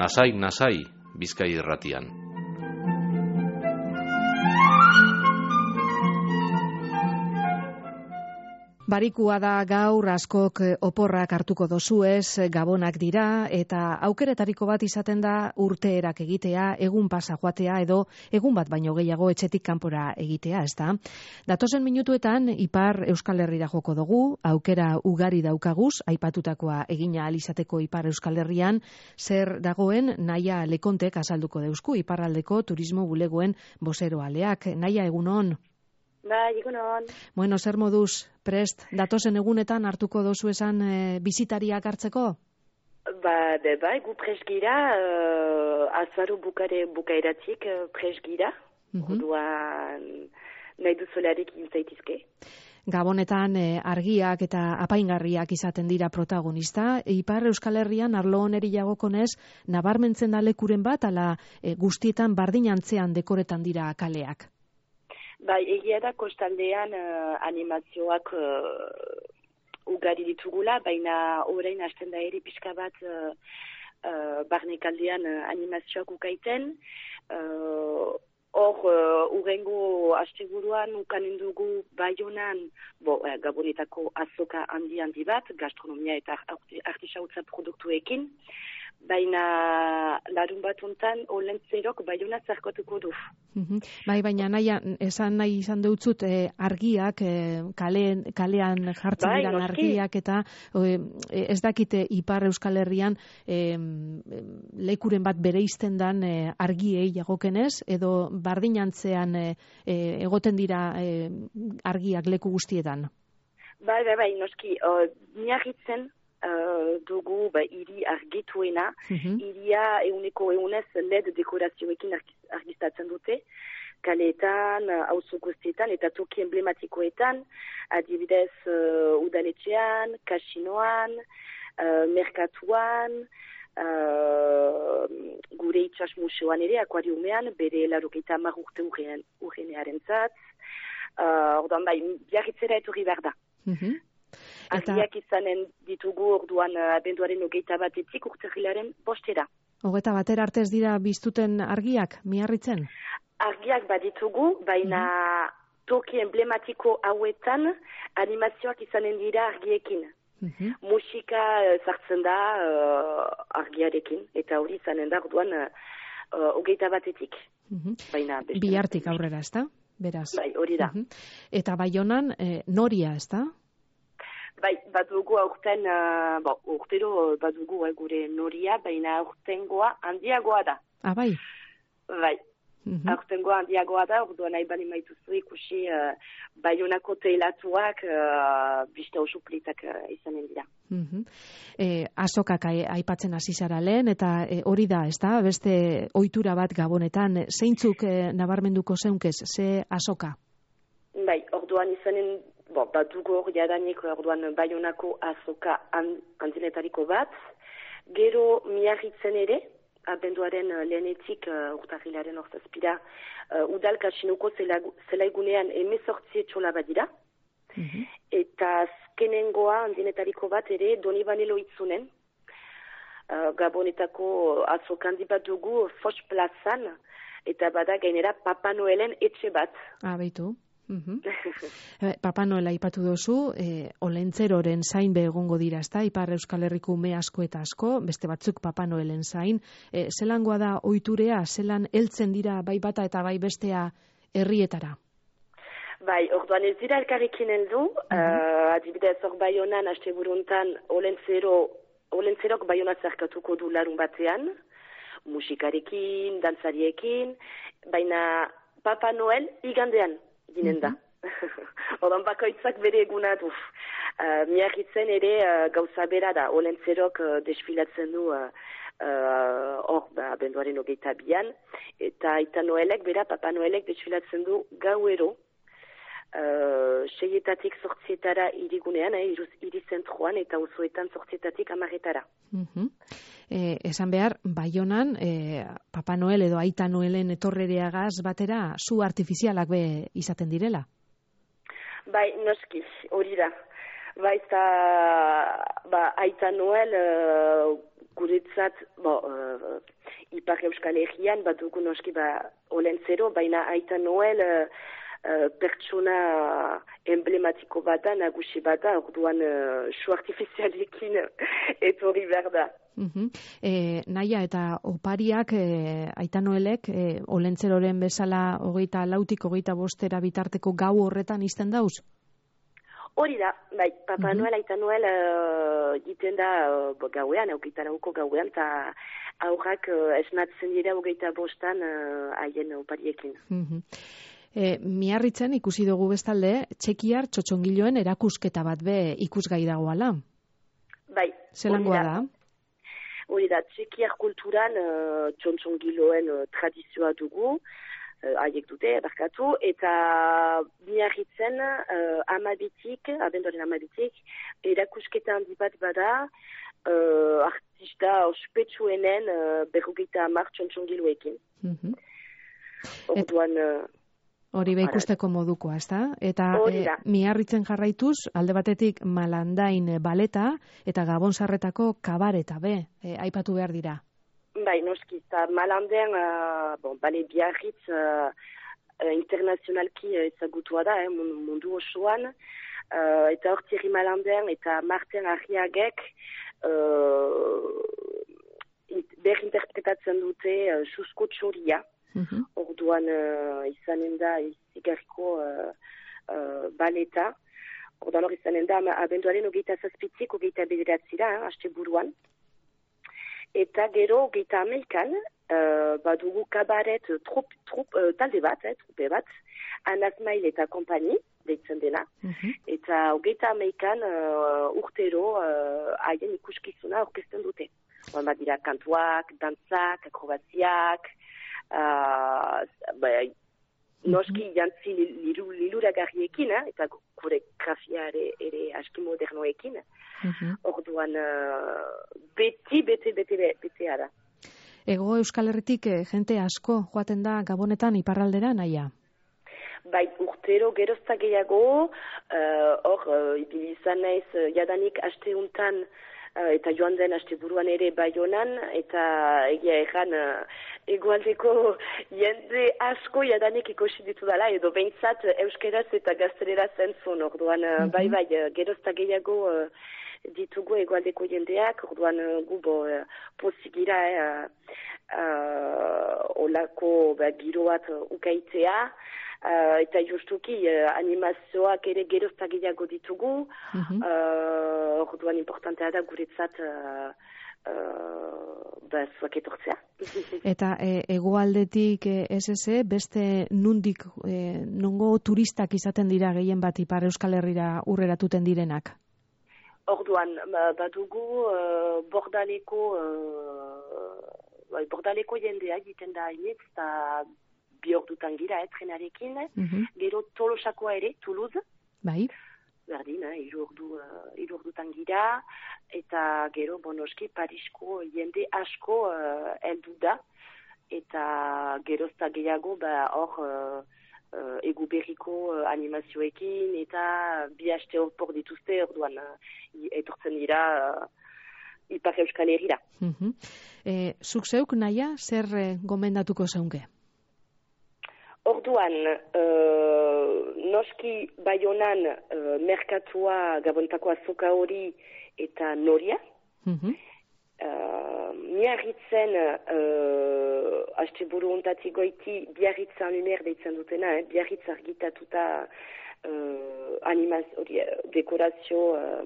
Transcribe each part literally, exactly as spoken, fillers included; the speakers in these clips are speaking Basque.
nasai, nasai, Bizkai Irratian. Barikua da gaur, askok oporrak hartuko dozuez, gabonak dira, eta aukeretariko bat izaten da urteerak egitea, egun pasa joatea edo egun bat baino gehiago etxetik kanpora egitea, ezta? Datozen minutuetan Ipar Euskal Herrira joko dugu, aukera ugari daukaguz, aipatutakoa egina alizateko Ipar Euskal Herrian, zer dagoen Naia Lekontek azalduko deusku, Iparraldeko turismo bulegoen bozeroaleak. Naia, egunon? Bai, egunon. Bueno, zer moduz, prest, datozen egunetan hartuko dozu esan e, bizitariak hartzeko? Ba, de, bai, gu prest gira, uh, azaru bukare bukaeratik uh, prest gira, uh-huh. Orduan nahi duzularik inzaitizke. Gabonetan e, argiak eta apaingarriak izaten dira protagonista. Ipar Euskal Herrian arlo oneri jagokonez, nabarmentzen da lekuren bat, ala e, guztietan bardin antzean dekoretan dira kaleak. Bai, egia da kostaldean uh, animazioak uh, ugari ditugula, baina orain hasten da ere pixka bat uh, uh, barnekaldean uh, animazioak ukaiten. Uh, Hor, uh, urrengo asteburuan ukanen dugu Baionan, bo, uh, Gabonetako azoka handi handi bat, gastronomia eta artisautza produktuekin, baina larun bat ontan Olentzerok Baiona zarkotuko du. Uhum. Bai, baina naia, esan nahi izan deutzut eh, argiak, eh, kalean, kalean jartzen bai, diran argiak, eta eh, ez dakite Ipar Euskal Herrian eh, lekuren bat bereizten dan eh, argiei jagokenez, edo bardinantzean eh, eh, egoten dira eh, argiak leku guztietan? Bai, bai, bai, noski, uh, miarritzen Uh, dugu ba, iri argituena, uh-huh. Iria euneko eunez L E D dekorazioekin argistatzen dute, kaleetan, auzo guztietan eta toki emblematikoetan, adibidez uh, udaletxean, kasinoan, uh, merkatuan, uh, gure itxas museoan ere, akuariumean, bere larogeita hamar urte urgenearen zat, uh, ordan bai, biarritzera etorri behar da. Uh-huh. Argiak izanen ditugu orduan abenduaren hogeita batetik urterrilaren bostera. Hogeita batera artez dira biztuten argiak, miarritzen? Argiak baditugu, baina uh-huh. toki emblematiko hauetan animazioak izanen dira argiekin. Uh-huh. Musika sartzen da uh, argiarekin, eta hori izanen da orduan hogeita uh, batetik. Uh-huh. Baina, bihartik aurrera, ezta? Beraz. Bai, hori da. Uh-huh. Eta Baionan eh, noria, ezta? Bai, badugu aurten, uh, bo, urtero badugu eh, gure noria, baina aurtengoa handiagoa da. Ah, bai? Bai, uh-huh. Aurtengoa handiagoa da, orduan nahi bali maituzu ikusi uh, Baionako teilatuak uh, bista oso plitak uh, izanen dira. Uh-huh. Eh, azokak aipatzen hasi zara lehen, eta eh, hori da, ez da, beste ohitura bat Gabonetan, zeintzuk eh, nabarmenduko zeunkez, ze azoka? Bai, orduan izanen, bo, bat dugu hor jadanik, orduan Baionako azoka handinetariko bat, gero miarritzen ere, abenduaren lehenetik uh, urtarrilaren orzazpira, uh, udal kasinuko zelaigunean emezortzi etxola badira, uh-huh. Eta azkenengoa handinetariko bat ere Donibane Loitzunen, uh, Gabonetako azoka handi bat dugu Foch plazan, eta bada gainera Papa Noelen etxe bat. Ah, baitu. Uh-huh. Papa Noela aipatu dozu, eh, Olentzeroren zain be egongo dira, ezta? Ipar Euskal Herriko ume asko eta asko, beste batzuk Papa Noelen zain. Eh, zelangoa da ohiturea, zelan heltzen dira bai bata eta bai bestea herrietara? Bai, orduan ez dira elkarrekin heldu, uh-huh. uh, adibidez hor Baionan asteburuntan Olentzero, Olentzerok Baiona zerkatuko du larun batean, musikarekin, dantzariekin, baina Papa Noel igandean ginen da. Odan bakoitzak bere eguna du. Uh, miarritzen ere uh, gauza bera da. Olentzerok uh, desfilatzen du hor uh, uh, ba, benduaren hogeita bian. Eta Aita Noelek, bera Papa Noelek desfilatzen du gauero. Uh, seietatik sortzietara irigunean, eh, iri zentruan, eta osoetan sortzietatik amarretara. Uh-huh. Eh, esan behar, Baionan, eh, Papa Noel edo Aita Noelen etorrereagaz batera, zu artifizialak be izaten direla? Bai, noski, hori da. Baita, ba, Aita Noel, uh, guretzat, bo, uh, Ipar Euskal Herrian, bat dugu noski, ba, Olentzero, baina Aita Noel, uh, uh, pertsona emblematiko bat da, nagusi bat da, orduan, uh, su artifizialekin etorri behar da. Uh-huh. E, naia eta opariak, e, Aita Noelek, e, Olentzeroren bezala hogeita lautik hogeita bostera bitarteko gau horretan izten dauz? Hori da, bai, Papa Uh-huh. Noel, Aita Noel uh, egiten da uh, gauean, hogeita lauko gauean, eta aurrak uh, esnatzen dira hogeita bostan haien uh, opariekin. Uh-huh. E, Miarritzen ikusi dugu bestalde, txekiar txotxongiloen erakusketa bat be ikusgai dagoala. Bai, Zelangoa da? Hori da, txekiar kulturan uh, txotxongiloen uh, tradizioa dugu, haiek dute, barkatu, eta Miarritzen uh, amabitik, abendoren amabitik, erakusketa handi bat bada, uh, artista ospetsuenen uh, berrogeita hamar txotxongiloekin. Uh-huh. Orduan... Uh, Hori be ikusteko modukoa, ezta? Eta e, Miarritzen jarraituz, alde batetik Malandain baleta eta Gabonsarretako kabareta be, e, aipatu behar dira. Bai, noski, eta Malandean, uh, bon, bale Biarritz uh, internazionalki ezagutua da, eh, mundu osoan, uh, eta hor Thierry Malandean eta Martin Arriagek uh, berinterpretatzen dute uh, Susko Txoria. Uh-huh. Orduan uh, izanen da izigarriko uh, uh, baleta. Orduan hor izanen da abenduaren ogeita zazpitzik, ogeita bederatzira, eh, haste buruan. Eta gero ogeita amelkan, uh, badugu kabaret trup, trup, uh, talde bat, eh, trupe bat, Anasmail eta kompani, deitzen dena. Uh-huh. Eta ogeita amelkan uh, urtero haien uh, ikuskizuna orkesten dute. Orduan bat dira kantuak, dantzak, akrobaziak, Uh, ba, noski jantzi liluragarriekin, eh, eta koreografia ere, ere aski modernoekin. Uh-huh. Orduan, uh, beti, beti, beti, beti ara. Ego Euskal Herritik eh, jente asko joaten da Gabonetan iparraldera, naia? Bai, urtero gerozta gehiago, hor, uh, uh, ibili izan naiz, uh, jadanik aste untan, Uh, eta joan den aste buruan ere Baionan, eta egia erran uh, egualdeko jende asko jadanik ikusi ditu dela, edo behintzat euskeraz eta gaztelera zentzun, orduan uh, bai bai, uh, gerozta gehiago uh, ditugu egualdeko jendeak, orduan uh, gubo uh, pozigira eh, uh, olako ba, giroat uh, ukaitea, Uh, eta justuki uh, animazioak ere gerozta gehiago ditugu, uh-huh. uh, orduan importantea da guretzat uh, uh, ba, zuak etortzea. Eta e, egoaldetik e, ez eze, beste nundik, e, nongo turistak izaten dira gehien bat Ipar Euskal Herrira urreratuten direnak? Orduan, badugu uh, bordaleko, uh, bordaleko jendea egiten da hainitz, eta bi ordutan gira, eh, trenarekin, uh-huh. Gero Tolosakoa ere, Toulouse. Bai. Berdin, eh, iru ordu, uh, iru ordutan gira, eta gero, bonoski, Parisko jende asko uh, eldu da, eta gerozta gehiago, ba, hor, uh, uh, egu berriko uh, animazioekin, eta bi haste horpor dituzte, orduan, uh, etortzen dira, uh, Ipar Euskal Herrira. Uh-huh. E, zuk zeuk, naia, zer eh, gomendatuko zeunke? Orduan, uh, noski Baionan uh, merkatua Gabontako azoka hori eta noria. Uh-huh. Uh, Miarritzen, uh, haste buru ontatik goiti, Biarritza anumer deitzen dutena, eh? Biarritz argitatuta uh, animaz, ori, dekorazio uh,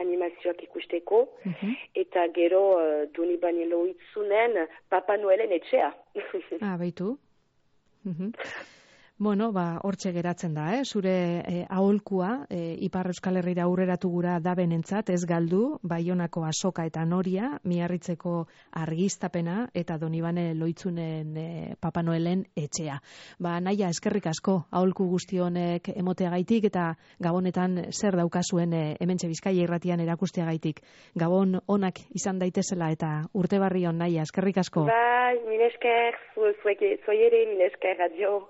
animazioak ikusteko, uh-huh. Eta gero uh, Doni Banelo itzunen Papa Noelen etxea. Ah, baitu. Mhm. Bueno, ba, hortxe geratzen da, eh? Zure eh, aholkua, eh, Ipar Euskal Herrira aurreratu gura da benentzat, ez galdu, Baionako azoka eta noria, Miarritzeko argiztapena, eta Donibane Loitzunen eh, Papa Noelen etxea. Ba, naia, eskerrik asko, aholku guzti honek emoteagaitik, eta Gabonetan zer daukazuen eh, hementxe Bizkaia irratian erakusteagaitik. Gabon onak izan daitezela, eta urte barri hon, naia, eskerrik asko. Bai, mil esker, zuei ere, mil esker, adio.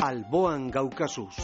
alboan gaukazuz.